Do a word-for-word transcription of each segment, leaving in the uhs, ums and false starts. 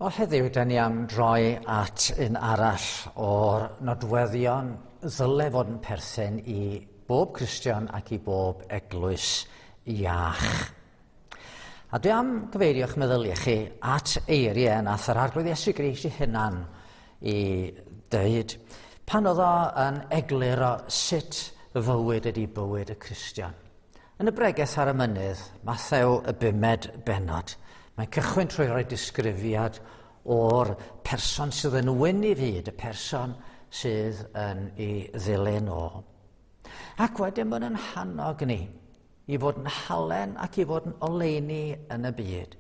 Wel, heddiw, da ni am droi at un arall o'r nodweddion ddyle fod yn perthyn i bob Cristion ac i bob eglwys iach. A dwi am gyfeirio'ch meddyliau chi at eiriau nath yr Arglwydd Iesu Grist ei hunan i dweud pan oedd o yn egluro sut fywyd ydy bywyd y Cristion. Yn y bregeth ar y mynydd, Mathew y bumed bennod, mae'n cychwyn trwy roi disgrifiad o'r person sydd yn wyn i fyd, y person sydd yn ei ddilyn o. Ac wedyn mae'n yn hannog ni i fod yn halen ac i fod yn oleuni yn y byd.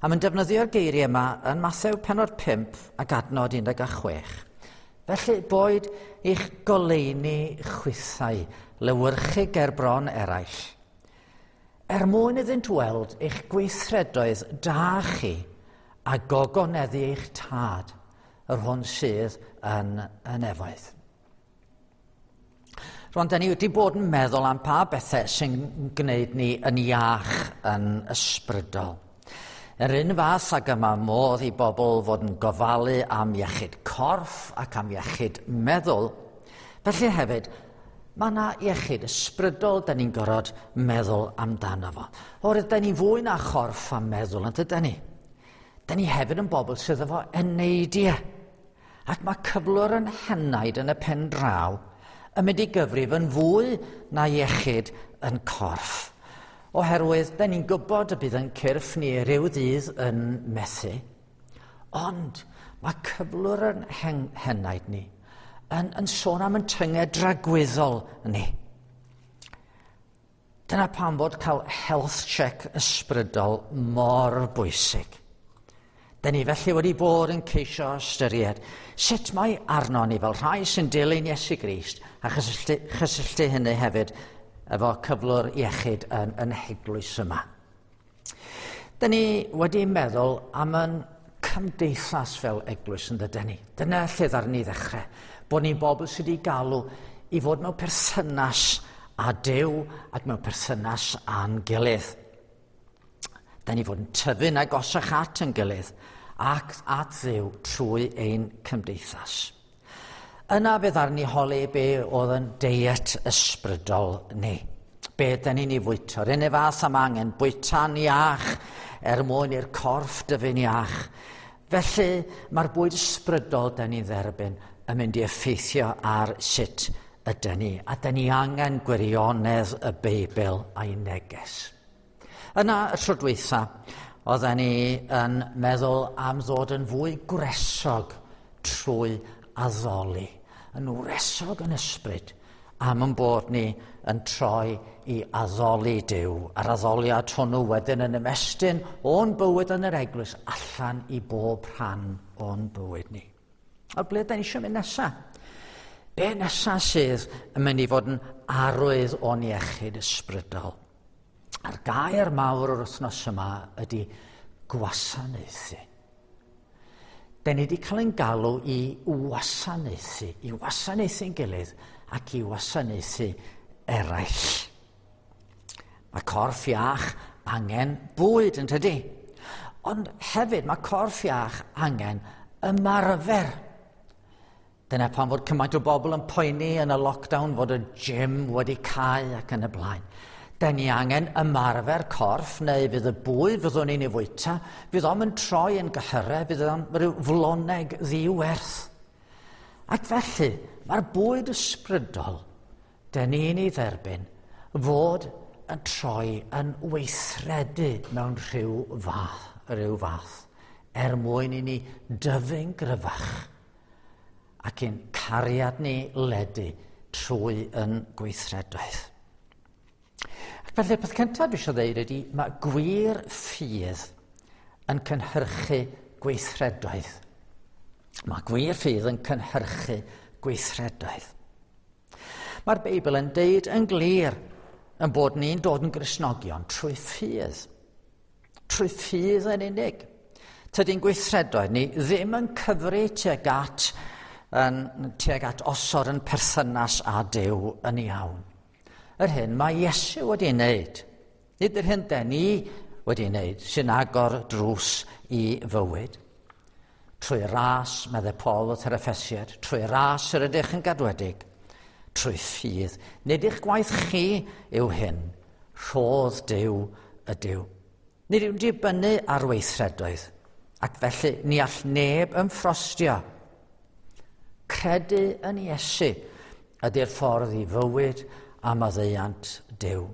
A mae'n defnyddio'r geiriau yma yn Mathew pennod pump ac adnod un deg chwech. Felly boed eich goleuni chwithau lewyrchu ger bron eraill, er mwyn iddynt weld eich gweithredoedd da chi a gogoneddu eich tad, yr hwn sydd yn y nefoedd. Rwan, da ni wedi bod yn meddwl am pa bethau sy'n gwneud ni yn iach yn ysbrydol. Yr un fath ag yma modd i bobl fod yn gofalu am iechyd corff ac am iechyd meddwl, felly hefyd mae yna iechyd ysbrydol da ni'n gorfod meddwl amdano fo. Oherwydd da ni'n fwy na chorff a meddwl, yn dydan ni? Da ni hefyd yn bobl sydd efo eneidiau. Ac mae cyflwr yn henaid yn y pen draw yn mynd i gyfrif yn fwy na iechyd yn corff. Oherwydd, da ni'n gwybod y bydd yn cyrff ni rhyw ddydd yn methu. Ond mae cyflwr yn hen, henaid ni yn, yn sôn am yn tynged dragwyddol ni. Dyna pam fod cael health check ysbrydol mor bwysig. Da ni felly wedi bod yn ceisio ystyried sut mae arno ni fel rhai sy'n dilyn Iesu Grist a chysylltu, chysylltu hynny hefyd efo cyflwr iechyd yn, yn heglwys yma. Da ni wedi meddwl am yn cymdeithas fel eglwys yn dydyn ni. Dyna lle ddaru ni ddechrau. Bod ni'n bobl sydd wedi galw i fod mewn perthynas â Duw ac mewn perthynas â'n gilydd. Da ni fod yn tyfu'n agosach at yn gilydd ac at Dduw trwy ein cymdeithas. Yna fe ddaru ni holi be oedd yn deiet ysbrydol ni. Be da ni'n ei fwyta. Yr un fath am angen bwyta'n iach er mwyn i'r corff dyfu'n iach. Felly mae'r bwyd ysbrydol da ni'n dderbyn yn mynd i effeithio ar sut ydyn ni. A da ni angen gwirionedd y Beibl a'i neges. Yna y tro dwytha, oedden ni yn meddwl am ddod yn fwy gwresog trwy addoli. Yn wresog yn ysbryd am yn bod ni yn troi i addoli Duw. A'r addoliad hwnnw wedyn yn ymestyn o'n bywyd yn yr eglwys allan i bob rhan o'n bywyd ni. A ble da ni eisiau mynd nesaf? Be nesaf sydd yn mynd i fod yn arwydd o'n iechyd ysbrydol? A'r gair mawr o'r wythnos yma ydy gwasanaethu. Da ni wedi cael ein galw i wasanaethu, i wasanaethu'n gilydd ac i wasanaethu eraill. Mae corff iach angen bwyd yn tydi. Ond hefyd mae corff iach angen ymarfer. Dyna pam fod cymaint o bobl yn poeni yn y lockdown fod y gym wedi cau ac yn y blaen. Da ni angen ymarfer corff, neu fydd y bwyd fyddwn ni'n ei fwyta, fydd o'm yn troi yn gyhyrau, fydd o'n rhyw floneg ddiwerth. Ac felly, mae'r bwyd ysbrydol, da ni'n ei dderbyn, fod yn troi yn weithredu mewn rhyw fath, rhyw fath, er mwyn i ni dyfu'n gryfach ac i'n cariad ni ledu trwy yn gweithredoedd. Ac felly'r peth cyntaf dwi eisiau dweud ydy mae gwir ffydd yn cynhyrchu gweithredoedd. Mae gwir ffydd yn cynhyrchu gweithredoedd. Mae'r Beibl yn deud yn glir yn bod ni'n dod yn Gristnogion trwy ffydd. Trwy ffydd yn unig. Tydi'n gweithredoedd ni ddim yn cyfri tuag at, yn, tuag at osod yn perthynas â Duw yn iawn. Yr hyn mae Iesu wedi wneud, nid yr hyn den ni wedi wneud, sy'n agor drws i fywyd. Trwy ras, meddai Paul wrth yr Effesiad, trwy ras yr ydych yn gadwedig, trwy ffydd. Nid eich gwaith chi yw hyn, rhodd Duw ydyw. Nid yw'n dibynnu ar weithredoedd, ac felly ni all neb ymffrostio. Credu yn Iesu ydy'r ffordd i fywyd a maddeuant Duw.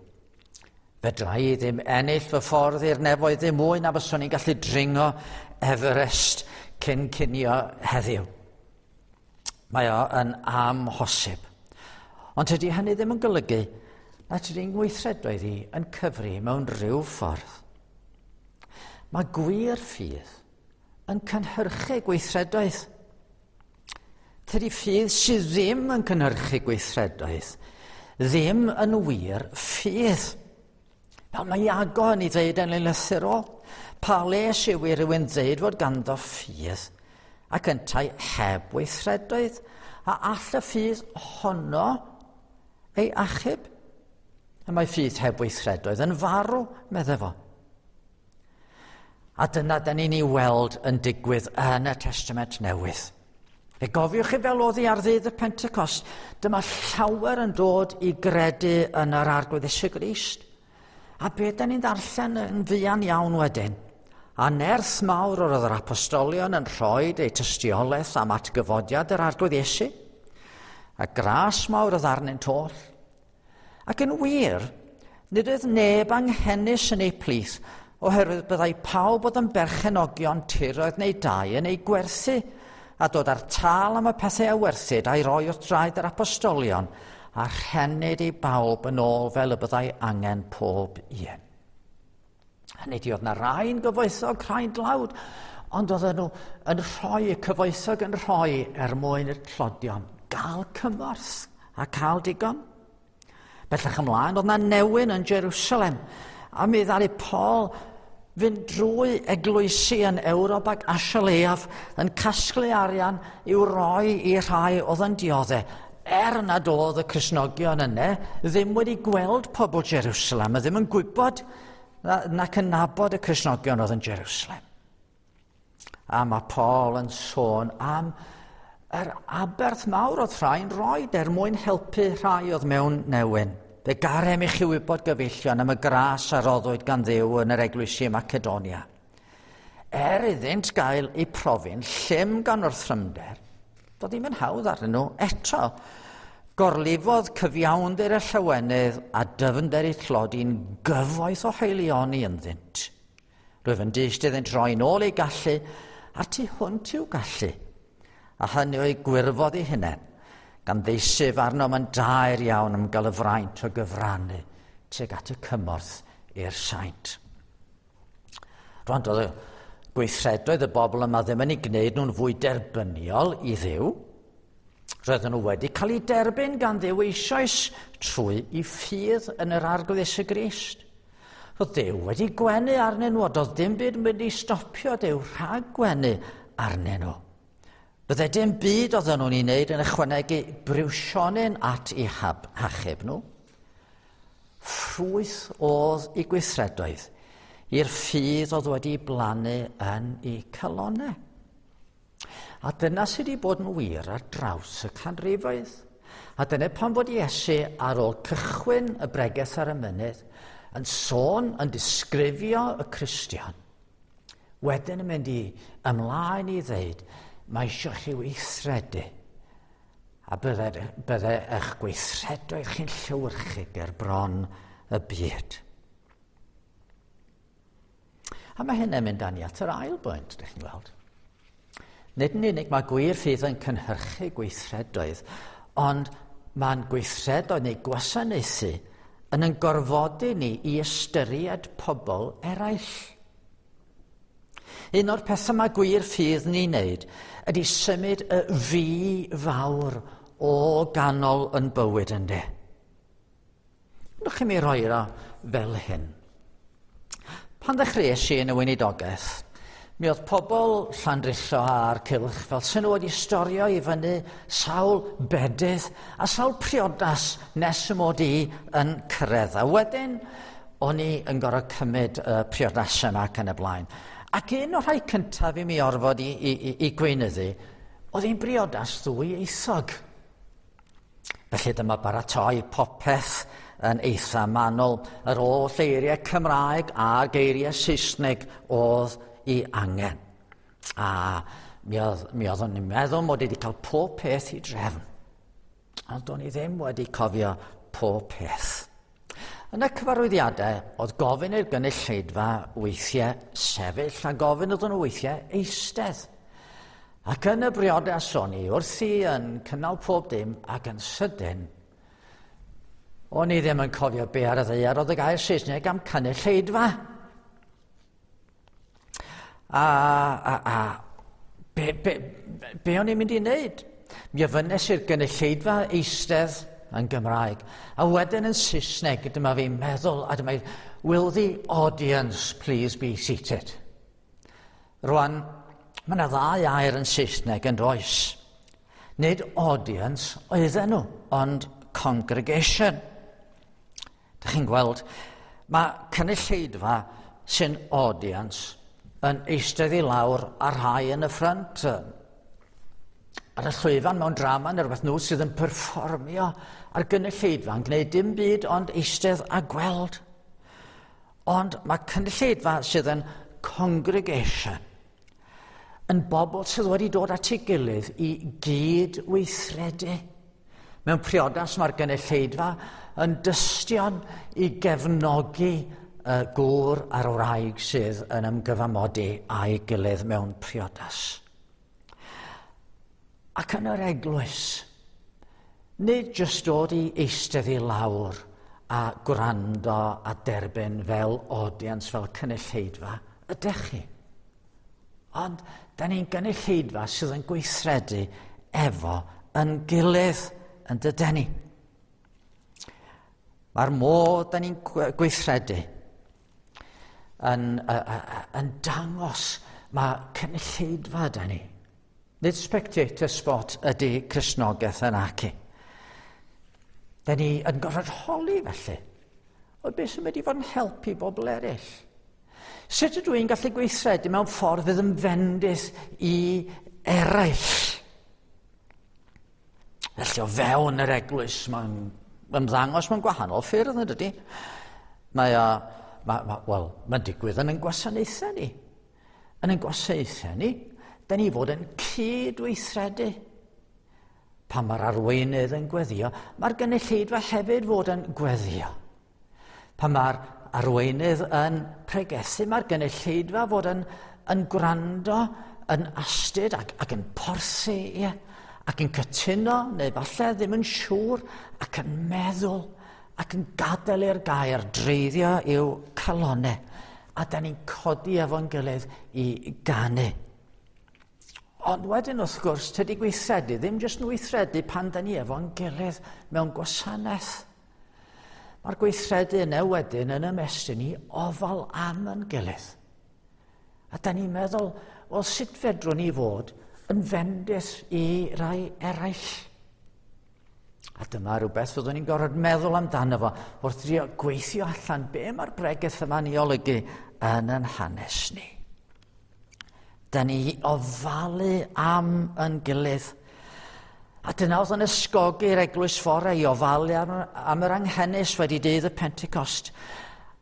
Fedra i ddim ennill fy ffordd i'r nefoedd ddim mwy na fyswn i'n gallu dringo Everest cyn cinio heddiw. Mae o yn amhosib. Ond tydi hynny ddim yn golygu na tydi'n gweithredoedd i yn cyfri mewn rhyw ffordd. Mae gwir ffydd yn cynhyrchu gweithredoedd. Tydi ffydd sydd ddim yn cynhyrchu gweithredoedd ddim yn wir ffydd. Fel mae Iago yn ei ddeud yn ei lythyr o, pa les yw i rywun ddeud fod ganddo ffydd ac yntau heb weithredoedd, a all y ffydd honno ei achub? Y mae ffydd heb weithredoedd yn farw, meddai fo. A dyna da ni'n ei weld yn digwydd yn y Testament Newydd. Fe gofiwch chi fel oedd hi ar ddydd y Pentecost, dyma llawer yn dod i gredu yn yr Arglwydd Iesu Grist. A be da ni'n ddarllen yn fuan iawn wedyn? A nerth mawr oedd yr apostolion yn rhoi eu tystiolaeth am atgyfodiad yr Arglwydd Iesu. A gras mawr oedd arnynt oll. Ac yn wir, nid oedd neb anghenus yn eu plith, oherwydd byddai pawb oedd yn berchenogion tiroedd neu dai yn eu gwerthu, a dod â'r tâl am y pethau a werthid a'i roi wrth draed yr apostolion, a rhennid i bawb yn ôl fel y byddai angen pob un. Hynny ydi, oedd na rai'n gyfoethog, rhai'n dlawd, ond oedden nhw yn rhoi, y cyfoethog yn rhoi er mwyn i'r tlodion gael cymorth a cael digon. Bellach ymlaen, oedd na newyn yn Jerusalem, a mi ddaru Paul fynd drwy eglwysi yn Ewrop ac Asia Leiaf yn casglu arian i'w roi i rhai oedd yn dioddef. Er nad oedd y Cristnogion yna ddim wedi gweld pobl Jerusalem, a ddim yn gwybod nac yn nabod y Cristnogion oedd yn Jerusalem. A mae Paul yn sôn am yr aberth mawr oedd rhai'n rhoi er mwyn helpu rhai oedd mewn newyn. Fe garem i chi wybod, gyfeillion, am y gras a roddwyd gan Dduw yn yr eglwysi Macedonia. Er iddynt gael eu profi'n llym gan wrthrymder, doedd ddim yn hawdd arnyn nhw eto. Gorlifodd cyfiawnder y llawenydd a dyfnder eu tlodi'n gyfoeth o haelioni ynddynt. Rwyf yn dyst iddynt roi nôl eu gallu a'r tu hwnt i'w gallu, a hynny o'i gwirfodd eu hunain, gan ddeisyf arnom yn daer iawn am gael y fraint o gyfrannu tuag at y cymorth i'r saint. Rwan, doedd y gweithredoedd y bobl yma ddim yn ei gwneud nhw'n fwy derbyniol i Dduw. Roedden nhw wedi cael eu derbyn gan Dduw eisoes trwy i ffydd yn yr Arglwydd Iesu Grist. Roedd Duw wedi gwenu arnyn nhw, a doedd dim byd yn mynd i stopio Duw rhag gwenu arnyn nhw. Bydde dim byd oedden nhw'n ei wneud yn ychwanegu briwsionyn at eu hachub nhw. Ffrwyth oedd eu gweithredoedd i'r ffydd oedd wedi blannu yn eu calonnau. A dyna sydd wedi bod yn wir ar draws y canrifoedd. A dyna pan fod Iesu ar ôl cychwyn y bregeth ar y mynydd yn sôn, yn disgrifio y Cristion, wedyn yn mynd i ymlaen i ddeud, mae eisiau chi weithredu, a bydde, bydde eich gweithredoedd chi'n llewyrchu ger bron y byd. A mae hynny'n mynd â ni at yr ail bwynt, ydych chi'n gweld. Nid yn unig mae gwir ffydd yn cynhyrchu gweithredoedd, ond mae'n gweithredoedd neu gwasanaethu yn yn gorfodi ni i ystyried pobl eraill. Un o'r pethau mae gwir ffydd ni'n wneud ydy symud y fi fawr o ganol yn bywyd ynddi. Nwch chi mi roi o fel hyn. Pan ddechreuais i yn y weinidogaeth, mi oedd pobl Llandrillo a'r cylch fel sy'n nhw wedi storio i fyny sawl bedydd a sawl priodas nes y mod i yn cyrraedd. A wedyn, o'n i yn gorfod cymryd y priodasau yma ac yn y blaen. Ac un o'r rhai cyntaf i mi orfod i, i, i, i gweinyddu, oedd hi'n briodas ddwyieithog. Felly dyma baratoi popeth yn eitha manwl. Yr oll eiriau Cymraeg a geiriau Saesneg oedd i angen. A mi oedd, mi oeddwn i'n meddwl mod i wedi cael pob peth i drefn. Ond do'n i ddim wedi cofio pob peth. Yn y cyfarwyddiadau, oedd gofyn i'r gynulleidfa weithiau sefyll a gofyn iddyn nhw weithiau eistedd. Ac yn y briodas o'n i wrthi yn cynnal pob dim ac yn sydyn, o'n i ddim yn cofio be ar y ddaear oedd y gair Saesneg am cynulleidfa. A, a, a be, be, be o'n i'n mynd i wneud? Mi ofynnes i'r gynulleidfa eistedd yn Gymraeg. A wedyn yn Saesneg, dyma fi'n meddwl, a dyma fi, "Will the audience please be seated?" Rwan, mae yna ddau air yn Saesneg yn does. Nid audience oedden nhw, ond congregation. Dych chi'n gweld, mae cynulleidfa sy'n audience yn eistedd i lawr a rhai yn y ffrynt. Ar y llwyfan mewn drama neu rhywbeth, nhw sydd yn perfformio a'r gynulleidfa yn gwneud dim byd ond eistedd a gweld. Ond mae cynulleidfa sydd yn congregation yn bobl sydd wedi dod at ei gilydd i gyd weithredu. Mewn priodas mae'r gynulleidfa yn dystion i gefnogi y gŵr a'r wraig sydd yn ymgyfamodi a'i gilydd mewn priodas. Ac yn yr eglwys, nid jyst dod i eistedd i lawr a gwrando a derbyn fel audience, fel cynulleidfa, ydych chi. Ond, da ni'n gynulleidfa sydd yn gweithredu efo yn gilydd, yn dydyn ni. Mae'r modd da ni'n gweithredu yn, yn dangos mae cynulleidfa da ni. Nid spectator sport ydy Cristnogaeth yn aci. Da ni yn gorfod holi felly. O beth sy'n mynd i fod yn helpu bobl eraill? Sut ydw i'n gallu gweithredu mewn ffordd fydd yn fendith i eraill? Felly o fewn yr eglwys mae'n ymddangos mewn gwahanol ffyrdd, yn dydy? Mae o, ma, ma, wel, mae'n digwydd yn ein gwasanaethau ni. Yn ein gwasanaethau ni, da ni fod yn cydweithredu. Pan mae'r arweinydd yn gweddio, mae'r gynulleidfa hefyd fod yn gweddio. Pan mae'r arweinydd yn pregethu, mae'r gynulleidfa fod yn, yn gwrando, yn astud ac, ac yn porthi, ie, ac yn cytuno, neu falle ddim yn siŵr, ac yn meddwl, ac yn gadael i'r gair dreiddio i'w calonau. A da ni'n codi efo'n gilydd i ganu. Ond wedyn wrth gwrs, tydi gweithredu ddim jyst yn weithredu pan da ni efo'n gilydd mewn gwasanaeth. Mae'r gweithredu yna wedyn yn ymestyn i ofal am yn gilydd. A da ni'n meddwl, wel, sut fedrwn ni fod yn fendith i rai eraill? A dyma rhywbeth fyddwn ni'n gorfod meddwl amdano fo wrth drio gweithio allan be mae'r bregeth yma'n ei olygu yn yn hanes ni. Da ni ofalu am yn gilydd. A dyna oedd yn ysgogi'r eglwys fore i ofalu am, am yr anghenus wedi dydd y Pentecost.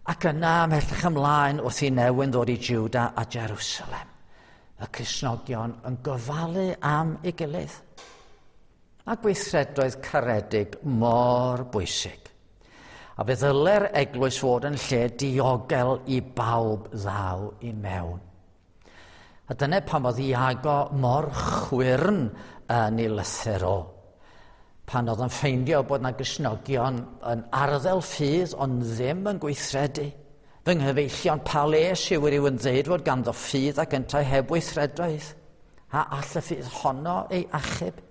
Ac yna ymhellach ymlaen wrth i newyn ddod i Juda a Jerusalem. Y Cristnogion yn gofalu am ei gilydd. A gweithredoedd caredig mor bwysig. A fe ddyle'r eglwys fod yn lle diogel i bawb ddaw i mewn. A dyna pam oedd Iago mor chwyrn yn ei lythyr o. Pan oedd yn ffeindio bod na Gristnogion yn arddel ffydd ond ddim yn gweithredu. "Fy nghyfeillion, pa les yw rhywun ddeud fod ganddo ffydd ac yntau heb weithredoedd? A all y ffydd honno ei achub?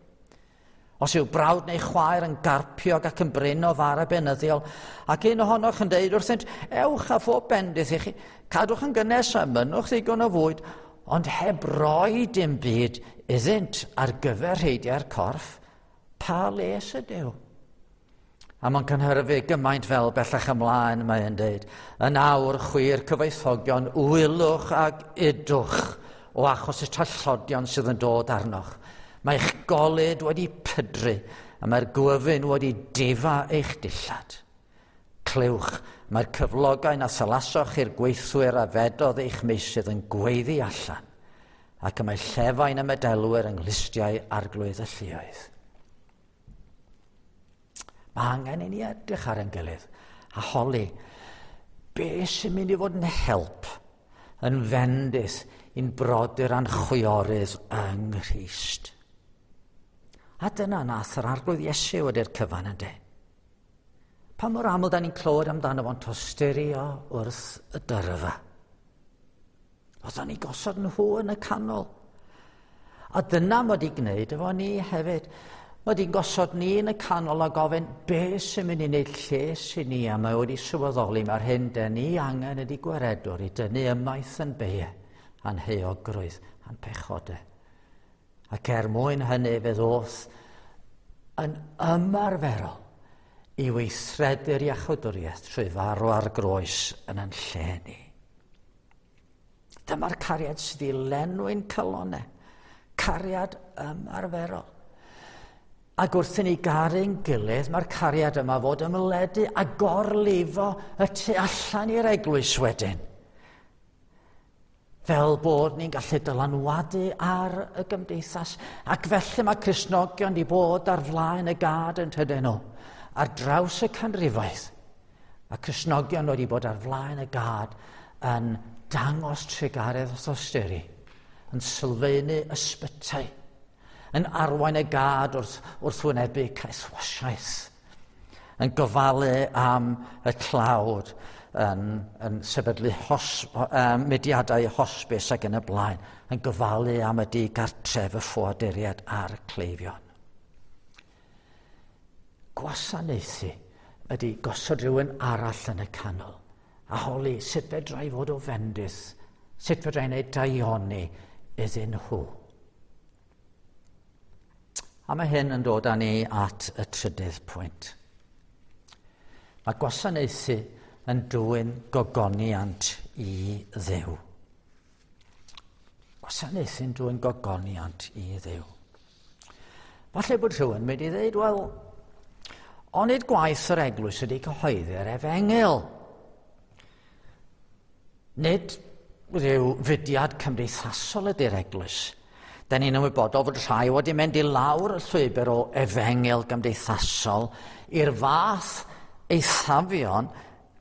Os yw brawd neu chwaer yn garpiog ac yn brin o fara beunyddiol, ac un ohonoch yn deud wrthynt, 'Ewch a phob bendith i chi, cadwch yn gynnes a mynnwch ddigon o fwyd,' ond heb roi dim byd iddynt ar gyfer rheidiau'r corff, pa les ydyw?" A mae'n cynhyrfu gymaint fel bellach ymlaen, mae'n dweud, yn awr chwi'r cyfoethogion, wylwch ag udwch o achos y trallodion sydd yn dod arnoch. Mae eich golud wedi pydru a mae'r gwyfyn wedi difa eich dillad. Clywch, mae'r cyflogau na thylasoch i'r gweithwyr a fedodd eich meysydd yn gweiddi allan, ac y mae llefain y medelwyr yng nghlustiau arglwydd y lluoedd. Mae angen i ni edrych ar ein gilydd a holi be sy'n mynd i fod yn help, yn fendith i'n brodyr a'n chwiorydd yng Nghrist. A dyna nath yr Arglwydd Iesu wedi'r cyfan yndê. Pa mor aml da ni'n clywed amdano fo'n tosturio wrth y dyrfa. Oedden ni gosod nhw yn y canol. A dyna mod i gwneud efo ni hefyd. Mae di'n gosod ni yn y canol a gofyn be sy'n mynd i wneud lles i ni, a mae wedi sylweddoli mae'r hyn dyn ni angen ydi gwaredwr i dynnu ymaith yn beie a'n heuogrwydd a'n pechodau. Ac er mwyn hynny fe ddoth yn ymarferol i weithredu'r iachawdwriaeth trwy farw ar groes yn yn lle ni. Dyma'r cariad sydd i lenwi'n calonnau. Cariad ymarferol. Ac wrth i ni garu'n gilydd, mae'r cariad yma fod ymledu a gorlifo y tu allan i'r eglwys wedyn. Fel bod ni'n gallu dylanwadu ar y gymdeithas. Ac felly mae Cristnogion wedi bod ar flaen y gad yn tydyn nhw, ar draws y canrifoedd. Mae Cristnogion wedi bod ar flaen y gad yn dangos trugaredd a thosturi, yn sylfaenu ysbytai, yn arwain y gad wrth, wrth wynebu caethwasiaeth, yn gofalu am y tlawd, yn, yn sefydlu hos, um, mudiadau hosbis ac yn y blaen, yn gofalu am y digartref, y ffoaduriaid a'r cleifion. Gwasanaethu ydy gosod rhywun arall yn y canol a holi sut fedra i fod o fendith, sut fedra i wneud daioni iddyn nhw. A mae hyn yn dod â ni at y trydydd pwynt. Mae gwasanaethu yn dwyn gogoniant i Dduw. Gwasanaethu'n dwyn gogoniant i Dduw. Falle bod rhywun mynd i ddweud, wel, onid gwaith yr eglwys ydy cyhoeddi'r efengyl. Nid rhyw fudiad cymdeithasol ydy'r eglwys. Da ni'n ymwybodol fod rhai wedi mynd i lawr y llwybr o efengyl gymdeithasol i'r fath eithafion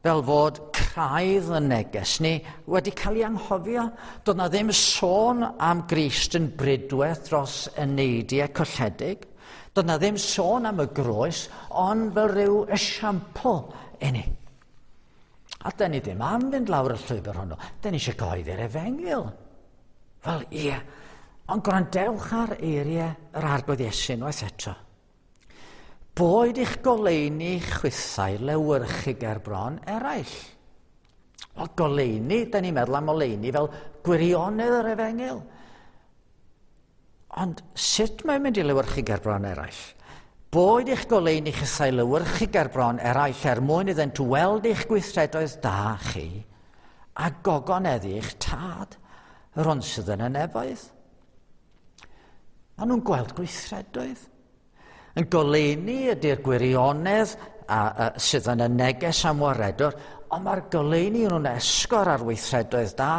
fel fod craidd y neges ni wedi cael ei anghofio. Doedd na ddim sôn am Grist yn bridwedd dros eneidiau colledig. Doedd na ddim sôn am y groes, ond fel rhyw esiampl i ni. A da ni ddim am fynd lawr y llwybr hwnnw. Da ni eisiau cyhoeddi'r efengyl. Wel, ie. Ond gwrandewch ar eiriau yr Arglwydd Iesu unwaith eto. Boed eich goleuni chwithau lewyrchu ger bron eraill. Wel, goleuni, da ni'n meddwl am oleuni fel gwirionedd yr efengyl. Ond sut mae'n mynd i lewyrchu ger bron eraill? Boed eich goleuni chwithau lewyrchu ger bron eraill er mwyn iddynt weld eich gweithredoedd da chi a gogoneddu eich tad, yr hwn sydd yn y nefoedd. Maen nhw'n gweld gweithredoedd. Yn goleuni ydy'r gwirionedd a, a, sydd yn y neges am waredwr, ond mae'r goleuni nhw'n esgor ar weithredoedd da,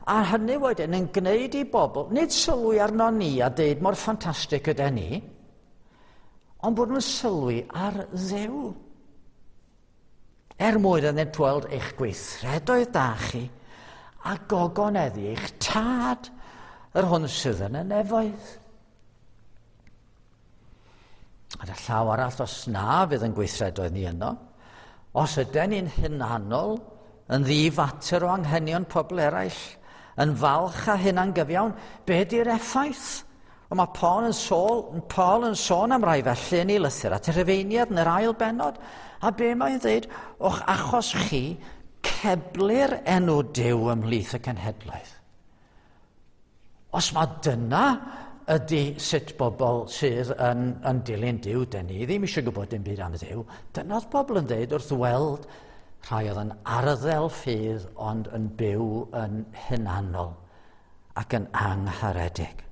a hynny wedyn yn gwneud i bobl, nid sylwi arno ni a deud mor ffantastig ydy ni, ond bod nhw'n sylwi ar Dduw. Er mwyn iddynt weld eich gweithredoedd da chi a gogoneddu eich tad, yr hwn sydd yn y nefoedd. Ar y llaw arall, os na fydd yn gweithredoedd ni yno, os ydyn ni'n hunanol, yn ddifater o anghenion pobl eraill, yn falch a hunangyfiawn, be di'r effaith? Ond mae Paul yn, sôl, Paul yn sôn am rai felly yn ei lythyr at y Rhufeiniaid yn yr ail bennod, a be mae'n dweud, o'ch achos chi, ceblir enw Duw ymhlith y cenhedloedd. Os mae dyna ydy sut bobl sydd yn, yn dilyn Duw, dyn ni ddim eisiau gwybod dim byd am Dduw. Dyna oedd bobl yn dweud wrth weld rhai oedd yn arddel ffydd ond yn byw yn hunanol ac yn angharedig.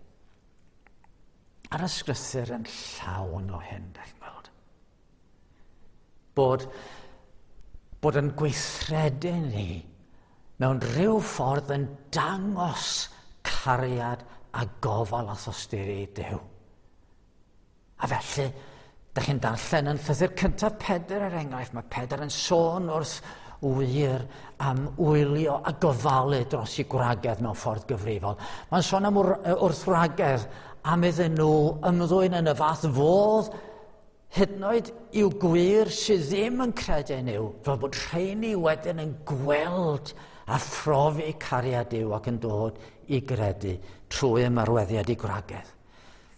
A'r ysgrythur yn llawn o hyn, dach chi'n gweld. Bod, bod yn gweithredu ni mewn rhyw ffordd yn dangos cariad a gofal a thosturi Duw. A felly, dach chi'n darllen yn llythyr cyntaf Pedr er enghraifft, mae Pedr yn sôn wrth wir am wylio a gofalu dros i gwragedd mewn ffordd gyfrifol. Mae'n sôn am wrth wragedd am iddyn nhw ymddwyn yn y fath fodd hyd yn oed i'w gwir sydd ddim yn credu nhw, fel bod rheini wedyn yn gweld a phrofi cariad Duw ac yn dod i gredu trwy ymarweddiad i gwragedd.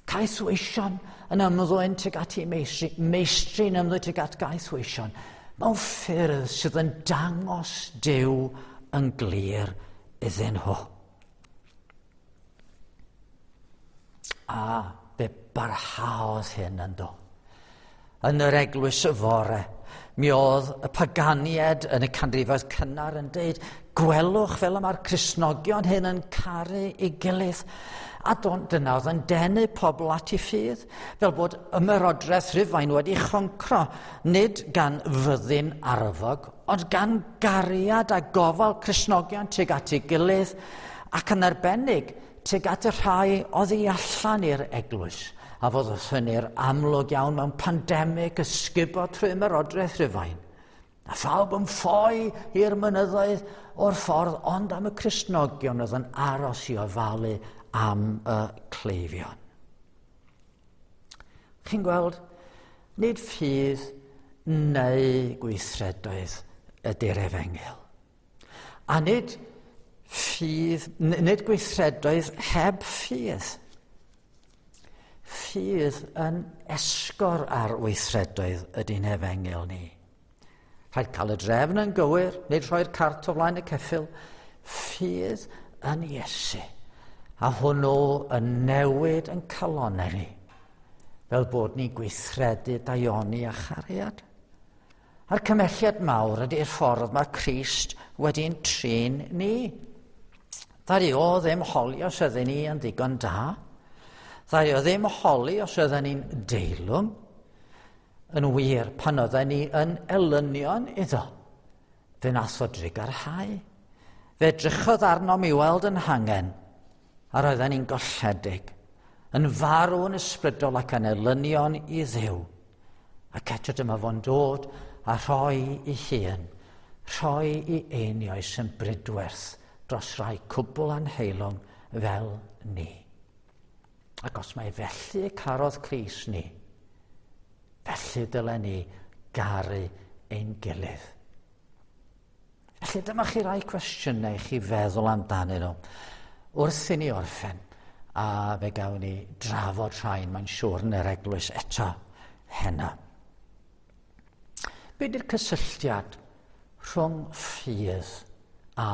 Caethweision yn ymddwyn tuag at ei meistri, meistri yn ymddwyn tuag at gaethweision, mewn ffyrdd sydd yn dangos Duw yn glir iddyn nhw. A fe barhaodd hyn yn do. Yn yr eglwys y fore, mi oedd y paganiad yn y canrifoedd cynnar yn deud, gwelwch fel y mae'r Cristnogion hyn yn caru ei gilydd. A dyna oedd yn denu pobl at ei ffydd, fel bod ymerodraeth Rhufain wedi choncro, nid gan fyddin arfog, ond gan gariad a gofal Cristnogion tuag at ei gilydd, ac yn arbennig tuag at y rhai oedd i allan i'r eglwys, a fod hynny'r amlwg iawn mewn pandemig ysgubo trwy ymerodraeth Rhufain. A phawb yn ffoi i'r mynyddoedd o'r ffordd, ond am y Cristnogion oedd yn aros i ofalu am y cleifion. Chi'n gweld, nid ffydd neu gweithredoedd ydy'r efengyl. A nid ffydd, nid gweithredoedd heb ffydd. Ffydd yn esgor ar weithredoedd ydy'n efengyl ni. Rhaid cael y drefn yn gywir, nid rhoi'r cart o flaen y ceffyl. Ffydd yn Iesu. A hwnnw yn newid yn calonnau ni, fel bod ni'n gweithredu daioni a chariad. A'r cymelliad mawr ydy'r ffordd mae Crist wedi'n trin ni. Ddaru o ddim holi os ydyn ni yn ddigon da. Ddaru o ddim holi os ydyn ni'n deilwng. Yn wir, pan oedden ni yn elynion iddo, fe nath o drugarhau. Fe edrychodd arnom i weld yn hangen, a roedden ni'n golledig, yn farw yn ysbrydol ac yn elynion i Dduw. Ac eto dyma fo'n dod a rhoi i hun, rhoi i einioes yn brydwerth dros rai cwbl anheilwng fel ni. Ac os mae felly carodd Crist ni, felly dylen ni garu ein gilydd. Felly dyma chi rai cwestiynau i chi feddwl amdanyn nhw. Wrth i ni orffen, a fe gawn ni drafod rhain, mae'n siŵr, yn yr eglwys eto heno. Be di'r cysylltiad rhwng ffydd a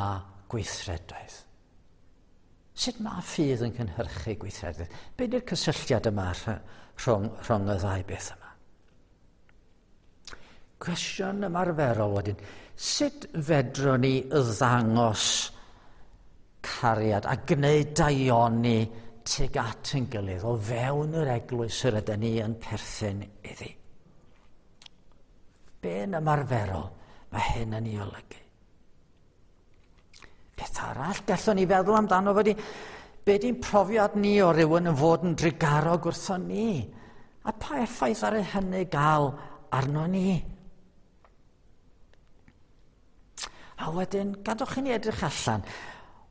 gweithredoedd? Sut mae ffydd yn cynhyrchu gweithredoedd? Be di'r cysylltiad yma rhwng, rhwng y ddau beth yma? Cwestiwn ymarferol wedyn, sut fedrwn ni ddangos cariad a gwneud daioni tuag at ein gilydd o fewn yr eglwys yr ydyn ni yn perthyn iddi? Be yn ymarferol mae hyn yn ei olygu? Peth arall gallwn ni feddwl amdano fo di, be di'n profiad ni o rywun yn fod yn drugarog wrthon ni? A pa effaith ar hynny gael arno ni? A wedyn, gadwch i ni edrych allan.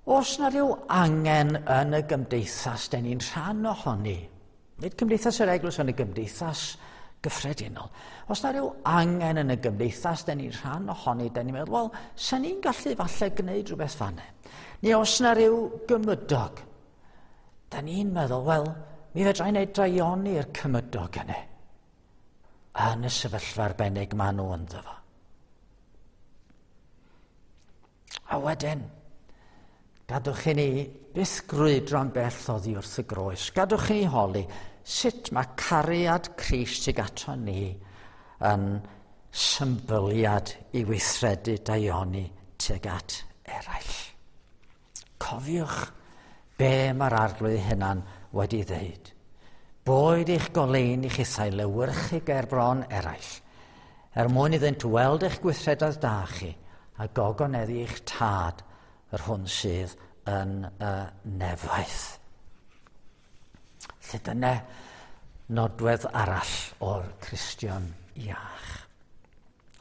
Oes na ryw angen yn y gymdeithas den ni'n rhan ohoni? Nid cymdeithas yr eglwys, ond y gymdeithas gyffredinol. Os na ryw angen yn y gymdeithas den ni'n rhan ohoni, den ni'n meddwl, wel, sa ni'n gallu falle gwneud rhywbeth fanne. Neu os na ryw gymydog, den ni'n meddwl, wel, mi fedra i wneud daioni i'r cymydog yna. Yn y sefyllfa arbennig maen nhw ynddo fo. A wedyn, gadwch i ni byth grwydro'n bell oddi wrth y groes. Gadwch i ni holi sut mae cariad Crist tuag ato ni yn symbyliad i weithredu daioni tuag at eraill. Cofiwch be mae'r Arglwydd hunan wedi ddeud. Boed eich goleuni chithau lewyrchu ger bron eraill, er mwyn iddynt weld eich gweithredoedd da chi a gogoneddu eich tad yr hwn sydd yn y nefoedd. Lle dyna nodwedd arall o'r Cristion iach.